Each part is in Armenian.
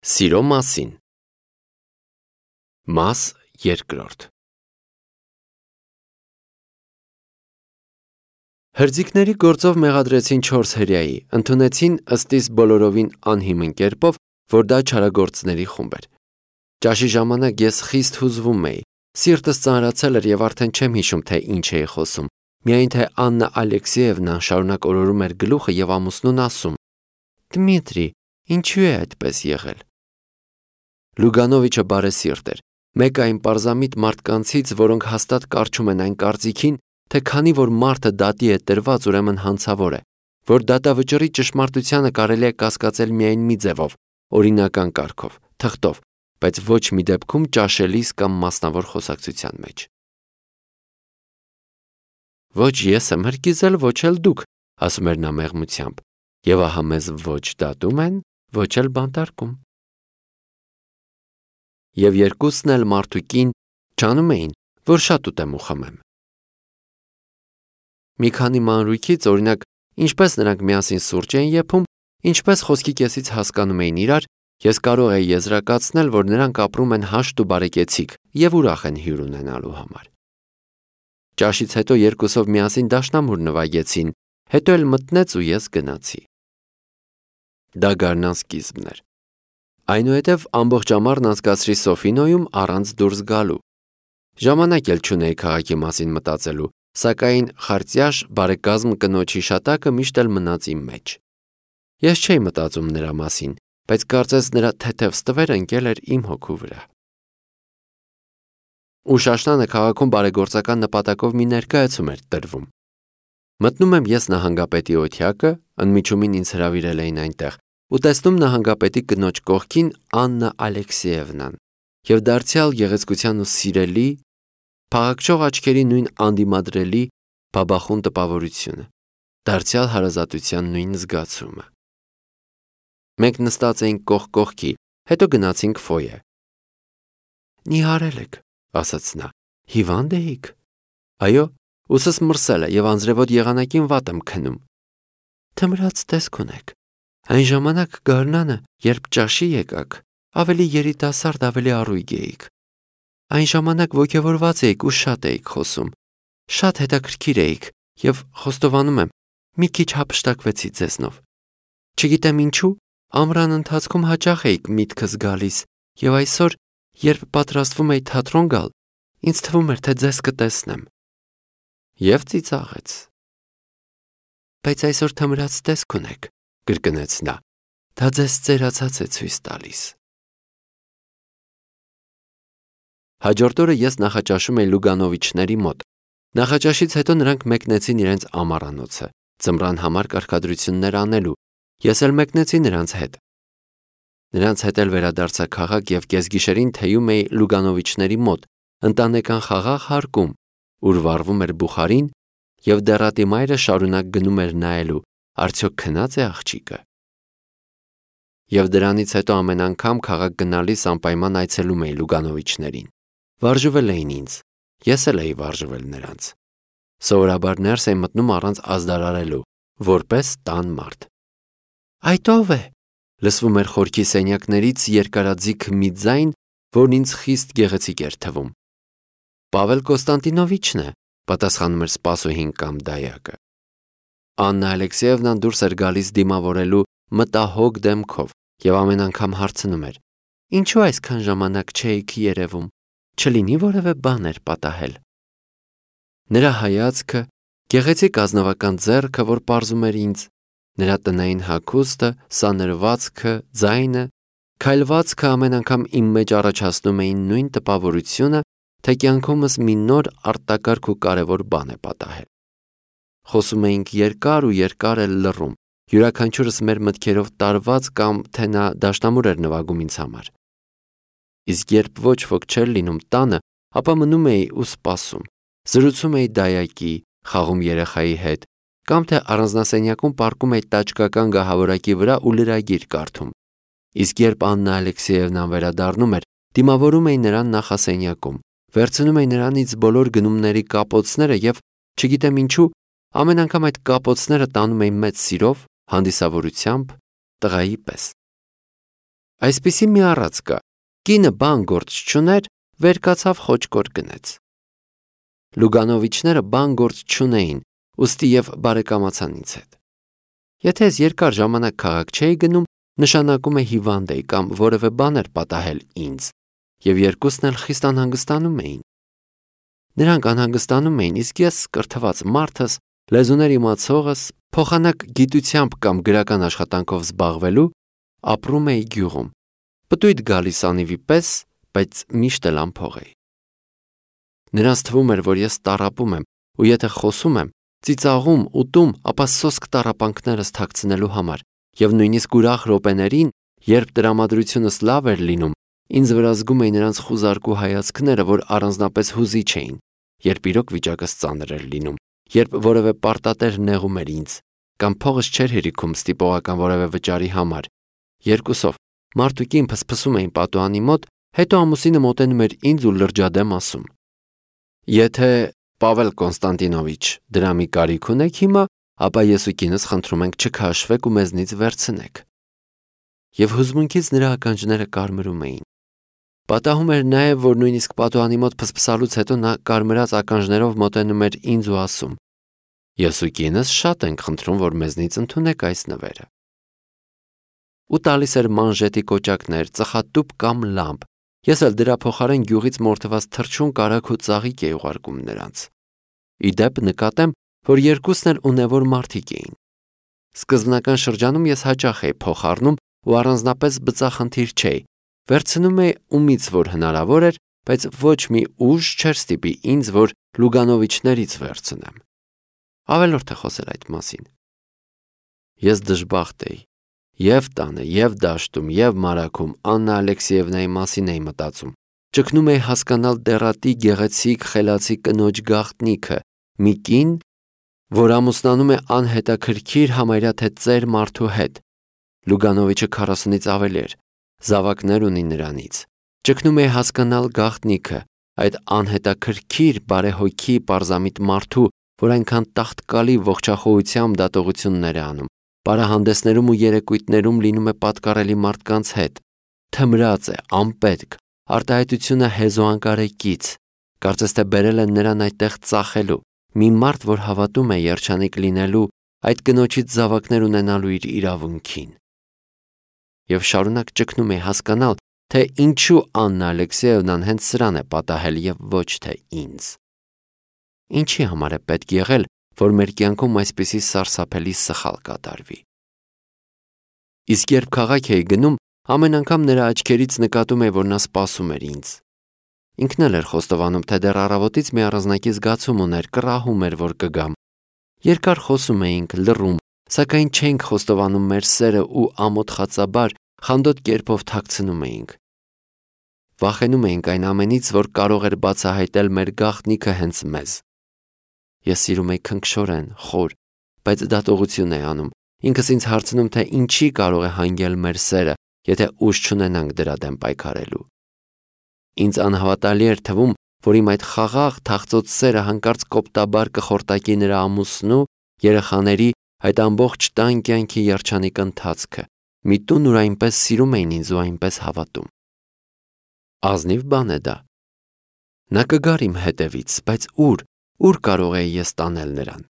Սիրո մասին։ Մաս երկրորդ։ Հրձիկների գործով մեղադրեցին 4 հրեայի, ընդունեցին ըստիս բոլորովին անհիմն կերպով, որ դա չարագործների խումբ էր։ Ճաշի ժամանակ ես խիստ հուզվում էի, սիրտս ծանրացել էր և արդեն չեմ հիշում, թե ինչ էի խոսում, միայն թե Աննա Ալեքսեևնան շարունակ օրորում էր գլուխը և ամուսնուն ասում. «Դմիտրի, ինչու է այդպես եղել»։ Լուգանովիչը բարեսիրտ էր, մեկ այն պարզամիտ մարդկանցից, որոնք հաստատ կառչում են այն կարծիքին, թե քանի որ մարդը դատի է տրված, ուրեմն հանցավոր է, որ դատավճռի ճշմարտությանը կարելի է կասկածել միայն մի ձևով, օրինական կարգով, թղթով, բայց ոչ մի դեպքում ճաշելիս կամ մասնավոր խոսակցության մեջ։ Ոչ ես եմ հրկիզել, ոչ էլ դուք, ասում էր նա մեղմությամբ, և ահա մեզ ոչ դատում են, ոչ էլ բանտարկում։ Եվ երկուսն էլ մարդուկին ջանում էին, որ շատ ուտեմ ու խմեմ։ Մի քանի մանրուքից, օրինակ, ինչպես նրանք միասին սուրճ էին եփում, ինչպես խոսքի կեսից հասկանում էին իրար, ես կարող էի եզրակացնել, որ նրանք ապրում են հաշտ ու բարեկեցիկ և ուրախ են հյուր ունենալու համար։ Ճաշից հետո երկուսով միասին դաշնամուր նվագեցին, հետո էլ մտնեց ու ես գնացի։ Դա գարնան սկիզբն էր։ Այնուհետև ամբողջ ամառն անցկացրի Սոֆինոյում առանց դուրս գալու։ Ժամանակ էլ չունեի քաղաքի մասին մտածելու, սակայն խարտյաշ բարեկազմ կնոջ հիշատակը միշտ էլ մնաց իմ մեջ։ Ես չէի մտածում նրա մասին, բայց կարծես նրա թեթև ստվերը ընկել էր իմ հոգու վրա։ Ուշ աշնանը քաղաքում բարեգործական նպատակով մի ներկայացում էր տրվում։ Մտնում եմ ես նահանգապետի օթյակը, ընդմիջումին ինձ հրավիրել էին այնտեղ, ու տեսնում նահանգապետի կնոջ կողքին Աննա Ալեքսեևնան և դարձյալ գեղեցկության ու սիրելի, փաղաքշող աչքերի նույն անդիմադրելի բաբախուն տպավորությունը, դարձյալ հարազատության նույն զգացումը։ Մենք նստած էինք կողք կողքի, հետո գնացինք ֆոյե։ Նիհարել եք, ասաց նա, հիվանդ էիք։ Այո, ուսս մրսել է և անձրևոտ եղանակին վատ եմ քնում։ Թմրած տեսք ունեք։ Այն ժամանակ գարնանը, երբ ճաշի եկաք, ավելի երիտասարդ, ավելի առույգ էիք։ Այն ժամանակ ոգևորված էիք ու շատ էիք խոսում։ Շատ հետաքրքիր էիք և, խոստովանում եմ, մի քիչ հափշտակվեցի ձեզնով։ Չգիտեմ ինչու, ամռան ընթացքում հաճախ էիք միտքս գալիս, և այսօր, երբ պատրաստվում էի թատրոն գալ, ինձ թվում էր, թե ձեզ կտեսնեմ։ Եվ ծիծաղեց։ Բայց այսօր թմրած տեսք ունեք, կրկնեց նա, դա ձեզ ծերացած է ցույց տալիս։ Հաջորդ օրը ես նախաճաշում էի Լուգանովիչների մոտ։ Նախաճաշից հետո նրանք մեկնեցին իրենց ամառանոցը, ձմռան համար կարգադրություններ անելու, ես էլ մեկնեցի նրանց հետ։ Նրանց հետ էլ վերադարձա քաղաք և կեսգիշերին թեյում էի Լուգանովիչների մոտ, ընտանեկան խաղաղ հարկում, ուր վառվում էր բուխարին, և դեռատի մայրը շարունակ գնում էր նայելու, արդյոք քնած է աղջիկը։ Եվ դրանից հետո ամեն անգամ քաղաք գնալիս անպայման այցելում էի Լուգանովիչներին։ Վարժվել էին ինձ, ես էլ էի վարժվել նրանց։ Սովորաբար ներս էի մտնում առանց ազդարարելու, որպես տան մարդ։ Այդ ո՞վ է, լսվում էր խորքի սենյակներից երկարաձիգ մի ձայն, որն ինձ խիստ գեղեցիկ էր թվում։ Պավել Կոստանտինովիչն է, պատասխանում էր սպասուհին կամ դայակը։ Աննա Ալեքսեևնան դուրս էր գալիս դիմավորելու մտահոգ դեմքով և ամեն անգամ հարցնում էր. Ինչու այսքան ժամանակ չէիք երևում, չլինի որևէ բան էր պատահել։ Նրա հայացքը, գեղեցիկ ազնվական ձեռքը, որ պարզում էր ինձ, նրա տնային հագուստը, սանրվածքը, ձայնը, քայլվածքը ամեն անգամ իմ մեջ առաջացնում էին նույն տպավորությունը, թե կյանքումս մի նոր արտակարգ ու կարևոր բան է պատահել։ Խոսում էինք երկար ու երկար էլ լռում, յուրաքանչյուրս մեր մտքերով տարված կամ թե նա դաշնամուր էր նվագում ինձ համար։ Իսկ երբ ոչ ոք չէր լինում տանը, ապա մնում էի ու սպասում, զրուցում էի դայակի, խաղում երեխայի հետ, կամ թե առանձնասենյակում պառկում էի տաճկական գահավորակի վրա ու լրագիր կարդում։ Իսկ երբ Աննա Ալեքսեևնան վերադառնում էր, դիմավորում էի նրան նախասենյակում, վերցնում էի նրանից բոլոր գնումների կապոցները և, չգիտեմ ինչու, ամեն անգամ այդ կապոցները տանում էի մեծ սիրով, հանդիսավորությամբ, տղայի պես։ Այսպիսի մի առած կա. կինը բան գործ չուներ, վեր կացավ խոճկոր գնեց։ Լուգանովիչները բան գործ չունեին, ուստի եւ բարեկամացան ինձ հետ։ Եթե ես երկար ժամանակ քաղաք չէի գնում, նշանակում է հիվանդ էի կամ որևէ բան էր պատահել ինձ, եւ երկուսն էլ խիստ անհանգստանում էին։ Նրանք անհանգստանում էին, իսկ ես կրթված մարդս, լեզուներ իմացողս, փոխանակ գիտությամբ կամ գրական աշխատանքով զբաղվելու, ապրում էի գյուղում, պտույտ գալիս անիվի պես, բայց միշտ էլ անփող էի։ Նրանց թվում էր, որ ես տառապում եմ, ու եթե խոսում եմ, ծիծաղում, ուտում, ապա սոսկ տառապանքներս թաքցնելու համար, եւ նույնիսկ ուրախ րոպեներին, երբ տրամադրությունս լավ էր լինում, ինձ վրա զգում էի նրանց խուզարկու հայացքները, որ առանձնապես հուզիչ էին, երբ իրոք վիճակս ծանր էր լինում, երբ որևէ պարտատեր նեղում էր ինձ, կամ փողս չէր հերիքում ստիպողական որևէ վճարի համար։ Երկուսով մարդ ու կին փսփսում էին պատուհանի մոտ, հետո ամուսինը մոտենում էր ինձ ու լրջադեմ ասում. Եթե Պավել Կոնստանտինովիչ դրա մի կարիք ունեք հիմա, ապա ես ու կինս խնդրում ենք չքաշվեք ու մեզնից վերցնեք։ Եվ հուզմունքից նրա ականջները կարմրում էին։ Պատահում էր նաև, որ նույնիսկ պատուհանի մոտ փսփսալուց հետո նա կարմրած ականջներով մոտենում էր ինձ ու ասում. Ես ու կինս շատ ենք խնդրում, որ մեզնից ընդունեք այս նվերը։ Ու տալիս էր մանժետի կոճակներ, ծխատուփ կամ լամպ։ Ես էլ դրա փոխարեն գյուղից մորթված թռչուն կարագ ու ծաղիկ էի ուղարկում նրանց։ Ի դեպ նկատեմ, որ երկուսն էլ ունևոր մարդիկ էին։ Սկզբնական շրջանում ես հաճախ էի փող առնում ու առանձնապես բծախնդիր չէի։ Վերցնում էի ումից որ հնարավոր էր, բայց ոչ մի ուժ չէր ստիպի ինձ, որ Լուգանովիչներից վերցնեմ։ Ավելորդ է խոսել այդ մասին։ Ես դժբախտ էի։ Եվ տանը, եւ դաշտում, եւ մարաքում Աննա Ալեքսեևնայի մասին էի մտածում։ Ճգնում էի հասկանալ դեռատի գեղեցիկ խելացի կնոջ գաղտնիքը, մի կին, որ ամուսնանում է անհետաքրքիր համարյա թե ծեր մարդու հետ։ Լուգանովիչը 40-ից ավելի էր, զավակներ ունի նրանից։ Ճգնում էի հասկանալ գաղտնիքը, այդ անհետաքրքիր բարեհոգի պարզամիտ մարդու, որ այնքան տաղտկալի ողջախոհությամբ դատողություններ է անում, պարահանդեսներում ու երեկույթներում լինում է պատկառելի մարդկանց հետ, թմրած է, անպետք, արտահայտությունը հեզոանկարեկից, կարծես թե բերել են նրան այդտեղ ծախելու, մի մարդ, որ հավատում է երջանիկ լինելու, այդ կնոջից զավակներ ունենալու իր իրավունքին։ Եվ շարունակ ճգնում է հասկանալ, թե ինչու Աննա Ալեքսեևնան հենց սրան է պատահել եւ ոչ թե ինձ։ Ինչի համար է պետք եղել, որ մեր կյանքում այսպիսի սարսափելի սխալ կատարվի։ Իսկ երբ քաղաք էի գնում, ամեն անգամ նրա աչքերից նկատում էի, որ նա սպասում էր ինձ։ Ինքն էլ էր խոստովանում, թե դեռ առավոտից մի առանձնակի զգացում ուներ, կռահում էր, որ կգամ։ Երկար խոսում էինք, լռում, սակայն չէինք խոստովանում մեր սերը ու ամոթխածաբար խանդոտ կերպով թաքցնում էինք։ Վախենում էինք այն ամենից, որ կարող էր բացահայտել մեր գաղտնիքը հենց մեզ։ Ես սիրում էի քնքշորեն, խոր, բայց դատողություն էի անում։ Ինքս ինձ հարցնում, թե ինչի կարող է հանգել մեր սերը, եթե ուժ չունենանք դրա դեմ պայքարելու։ Ինձ անհավատալի էր թվում, որ իմ այդ խաղաղ թախծոց սերը հանկարծ կոպտաբար կխորտակի նրա ամուսնու, երեխաների, այդ ամբողջ տան կյանքի երջանիկ ընթացքը, մի տուն, ուր այնպես սիրում էին ինձ ու այնպես հավատում։ Ազնիվ բան է դա։ Նա կգար իմ հետևից, բայց ուր կարող էի ես տանել նրան։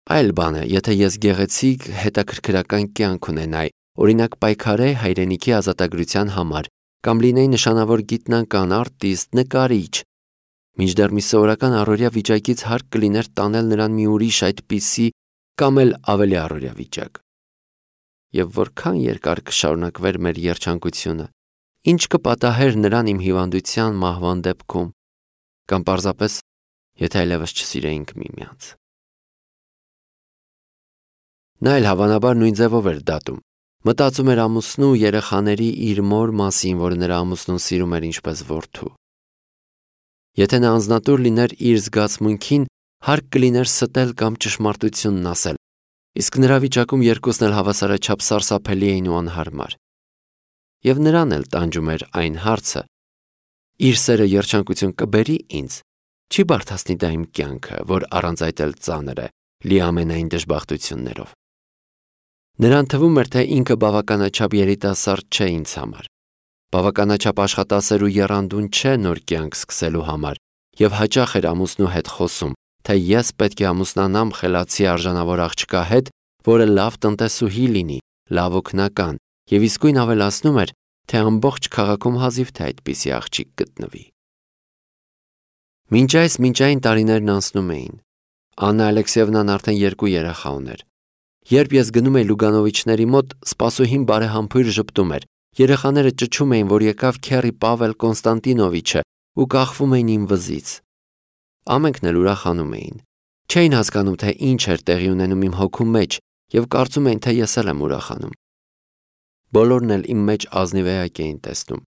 Այլ բան է, եթե ես գեղեցիկ հետաքրքրական կյանք ունենայի, օրինակ պայքարեի հայրենիքի ազատագրության համար, կամ լինեի նշանավոր գիտնական, արտիստ, նկարիչ, մինչդեռ մի սովորական առօրյա վիճակից հարկ կլիներ տանել նրան մի ուրիշ այդպիսի կամ էլ ավելի առօրյա վիճակ։ Եվ որքան երկար կշարունակվեր մեր երջանկությունը, ինչ կպատահեր նրան իմ հիվանդության մահվան դեպքում, կամ պարզապես, եթե այլևս չսիրեինք միմյանց։ Նա էլ հավանաբար նույն ձևով էր դատում։ Մտածում էր ամուսնու ու երեխաների իր մոր մասին, որ նրա ամուսնուն սիրում էր ինչպես որդու։ Եթե նա անձնատուր լիներ իր զգացմունքին, հարկ կլիներ ստել կամ ճշմարտությունն ասել, իսկ նրա վիճակում երկուսն էլ հավասարաչափ սարսափելի էին ու անհարմար։ Եվ նրան էլ տանջում էր այն հարցը. իր սերը երջանկություն կբերի ինձ, չի բարդացնի դա իմ կյանքը, որ առանց այդ էլ ծանր է, լի ամենայն դժբախտություններով։ Նրան թվում էր, թե ինքը բավականաչափ երիտասարդ չէ ինձ համար, Բավականաչափ աշխատասեր ու եռանդուն չէ նոր կյանք սկսելու համար, եւ հաճախ էր ամուսնու հետ խոսում, թե ես պետք է ամուսնանամ խելացի արժանավոր աղջկա հետ, որը լավ տնտեսուհի լինի, լավ օգնական, եւ իսկույն ավելացնում էր, թե ամբողջ քաղաքում հազիվ թե այդպիսի աղջիկ գտնվի։ Մինչ այս մինչային տարիներն անցնում էին։ Աննա Ալեքսեևնան արդեն 2 երեխա ուներ։ Երբ ես գնում էի Լուգանովիչների մոտ, սպասուհին բարեհամբույր ժպտում էր։ Երեխաները ճչում էին, որ եկավ քեռի Պավել Կոնստանտինովիչը ու կախվում էին իմ վզից։ Ամենքն էլ ուրախանում էին։ Չէին հասկանում, թե ինչ էր տեղի ունենում իմ հոգու մեջ եւ կարծում էին, թե ես էլ եմ ուրախանում։ Բոլորն էլ իմ մեջ ազնիվ էակ էին տեսնում։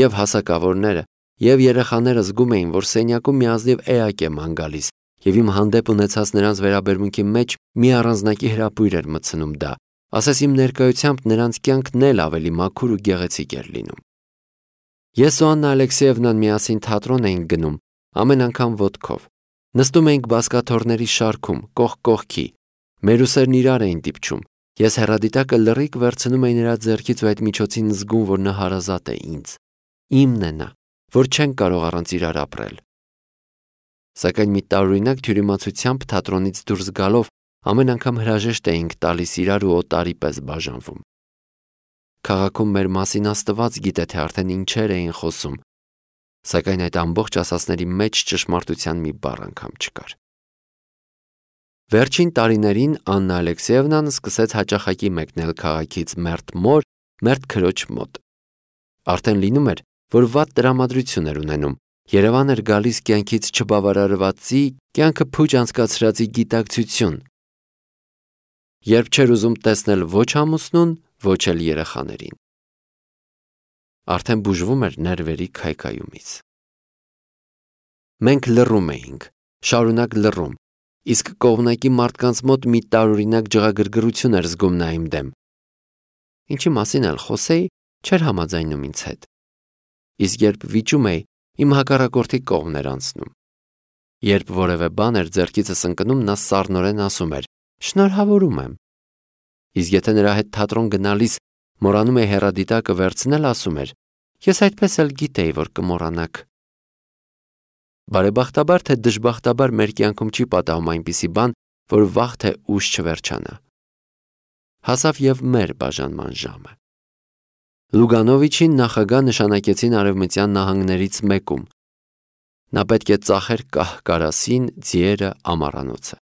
Եվ հասակավորները, եւ երեխաները զգում էին, որ սենյակում մի ազնիվ էակ է ման գալիս, եւ իմ հանդեպ ունեցած նրանց վերաբերմունքի մեջ մի առանձնակի հրապույր էր մտցնում դա, ասես իմ ներկայությամբ նրանց կյանքն էլ ավելի մաքուր ու գեղեցիկ էր լինում։ Ես ու Աննա Ալեքսեևնան միասին թատրոն էինք գնում, ամեն անգամ ոտքով։ Նստում էինք բազկաթոռների շարքում, կողք կողքի։ Մեր ուսերն իրար էին դիպչում։ Ես հեռադիտակը լռիկ վերցնում էի նրա ձեռքից ու այդ միջոցին զգում, որ նա հարազատ է ինձ։ Իմն է նա, որ չենք կարող առանց իրար ապրել։ Սակայն մի տարօրինակ թյուրիմացությամբ թատրոնից դուրս գալով ամեն անգամ հրաժեշտ էինք տալիս իրար ու օտարի պես բաժանվում։ Քաղաքում մեր մասին Աստված գիտե, թե արդեն ինչեր էին խոսում, սակայն այդ ամբողջ ասածների մեջ ճշմարտության մի բառ անգամ չկար։ Վերջին տարիներին Աննա Ալեքսեևնան սկսեց հաճախակի մեկնել քաղաքից մերթ մոր, մերթ քրոջ մոտ։ Արդեն լինում էր, որ վատ տրամադրություն էր ունենում, Երևան էր գալիս կյանքից չբավարարվածի, կյանքը փուչ անցկացրածի գիտակցություն, երբ չէր ուզում տեսնել ոչ ամուսնուն, ոչ էլ երեխաներին։ Արդեն բուժվում էր ներվերի քայքայումից։ Մենք լռում էինք, շարունակ լռում, իսկ կողմնակի մարդկանց մոտ մի տարօրինակ ջղագրգռություն էր զգում նա իմ դեմ։ Ինչի մասին էլ խոսեի, չէր համաձայնում ինձ հետ։ Իսկ երբ վիճում էի, իմ հակառակորդի կողմն էր անցնում։ Երբ որևէ բան էր ձեռքիցս ընկնում, նա սառնորեն ասում էր. «Շնորհավորում եմ»։ Իսկ եթե նրա հետ թատրոն գնալիս մոռանում էի հեռադիտակը վերցնել, ասում էր. «Ես այդպես էլ գիտեի, որ կմոռանաք»։ Բարեբախտաբար թե դժբախտաբար մեր կյանքում չի պատահում այնպիսի բան, որ վաղ թե ուշ չվերջանա։ Հասավ եւ մեր բաժանման ժամը։ Լուգանովիչին նախագահ նշանակեցին Արևմտյան նահանգներից մեկում։ Նա պետք է ծախեր կահ-կարասին, ձիերը, ամառանոցը։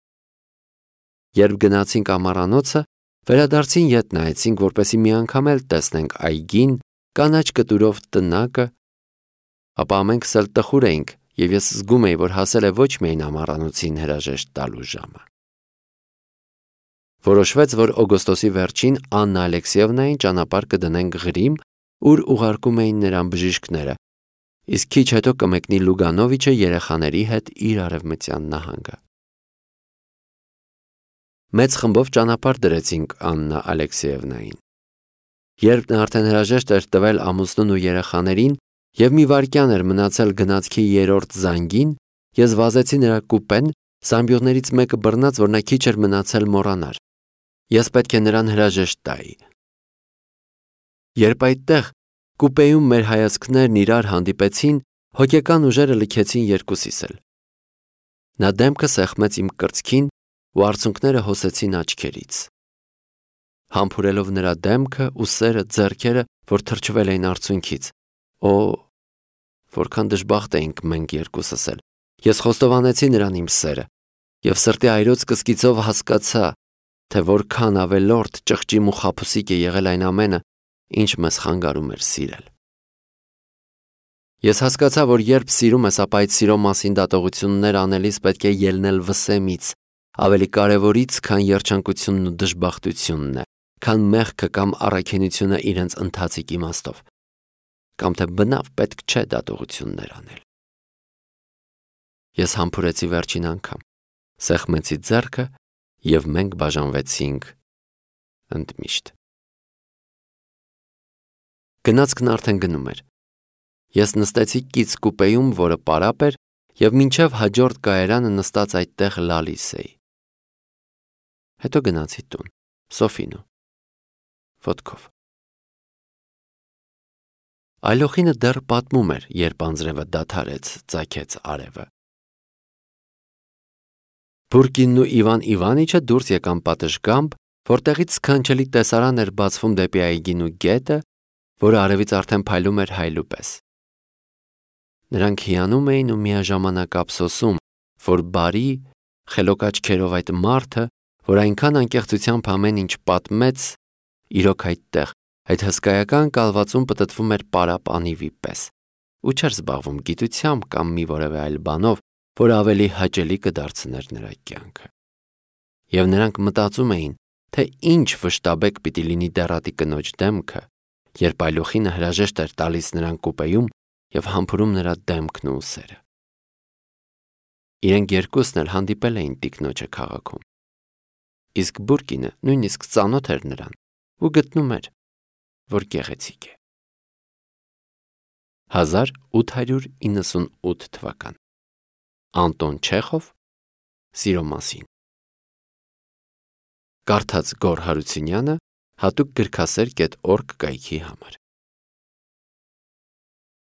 Երբ գնացինք ամառանոցը, վերադարձին ետ նայեցինք, որպեսզի մի անգամ էլ տեսնենք այգին, կանաչ կտուրով տնակը, ապա ամենքս էլ տխուր էինք, եւ ես զգում էի, որ հասել է ոչ միայն ամառանոցին հրաժեշտ տալու ժամը։ Որոշվեց, որ օգոստոսի վերջին Աննա Ալեքսեևնային ճանապարհ կդնենք Ղրիմ, ուր ուղարկում էին նրան բժիշկները, իսկ քիչ հետո կմեկնի Լուգանովիչը երեխաների հետ իր արևմտյան նահանգը։ Մեծ խմբով ճանապարհ դրեցինք Աննա Ալեքսեևնային։ Երբ նա արդեն հրաժեշտ էր տվել ամուսնուն ու երեխաներին, եւ մի վայրկյան էր մնացել գնացքի 3-րդ զանգին, ես վազեցի նրա կուպեն, զամբյուղներից մեկը բռնած, որ նա քիչ էր մնացել մոռանար։ Ես պետք է նրան հրաժեշտ տայի։ Երբ այդտեղ կուպեում մեր հայացքներն իրար հանդիպեցին, հոգեկան ուժերը լքեցին երկուսիս էլ։ Նա դեմքը սեղմեց իմ կրծքին ու արցունքները հոսեցին աչքերից։ Համբուրելով նրա դեմքը, ուսերը, ձեռքերը, որ թրջվել էին արցունքից։ Օ, որքան դժբախտ էինք մենք երկուսս էլ։ Ես խոստովանեցի նրան իմ սերը եւ սրտի այրոց կսկիծով հասկացա, թե որքան ավելորդ ճղճիմ ու խաբուսիկ է եղել այն ամենը, ինչ մեզ խանգարում էր սիրել։ Ես հասկացա, որ երբ սիրում ես, ապա այդ սիրո մասին դատողություններ անելիս պետք է ելնել վսեմից, ավելի կարևորից, քան երջանկությունն ու դժբախտությունն է, քան մեղքը կամ առաքինությունը իրենց ընթացիկ իմաստով, կամ թե բնավ պետք չէ դատողություններ անել։ Ես համբուրեցի վերջին անգամ, սեղմեցի ձեռքը եւ մենք բաժանվեցինք ընդմիշտ։ Գնացքն արդեն գնում էր։ Ես նստեցի կից կուպեում, որը պարապ էր, եւ մինչև հաջորդ կայարանը նստած այդտեղ լալիս էի։ Հետո գնացի տուն, Սոֆինու, ոտքով։ Այլոխինը դեռ պատմում էր, երբ անձրևը դադարեց, ծագեց արևը։ Բուրկինն ու Իվան Իվանիչը դուրս եկան պատշգամբ, որտեղից սքանչելի տեսարան էր բացվում դեպի այգին ու գետը, որը արևից արդեն փայլում էր հայլու պես։ Նրանք հիանում էին ու միաժամանակ ափսոսում, որ բարի, խելոք աչքերով այդ մարդը, որ այնքան անկեղծությամբ ամեն ինչ պատմեց, իրոք այդտեղ, այդ հսկայական կալվածում պտտվում էր պարապ անիվի պես ու չէր զբաղվում գիտությամբ կամ մի որևէ այլ բանով, որ ավելի հաճելի կդարձներ նրա կյանքը։ Եվ նրանք մտածում էին, թե ինչ վշտաբեկ պիտի լինի դեռատի կնոջ դեմքը, երբ այլոխինը հրաժեշտ էր տալիս նրան կուպեում և համբուրում նրա դեմքն ու ուսերը։ Իրենք երկուսն էլ հանդիպել էին տիկնոջը քաղաքում։ Իսկ Բուրկինը նույնիսկ ծանոթ էր նրան ու գտնում էր, որ գեղեցիկ է։ 1898 թվական Անտոն Չեխով Սիրո մասին Կարդաց Գոռ Հարությունյանը հատուկ գրքասեր.org կայքի համար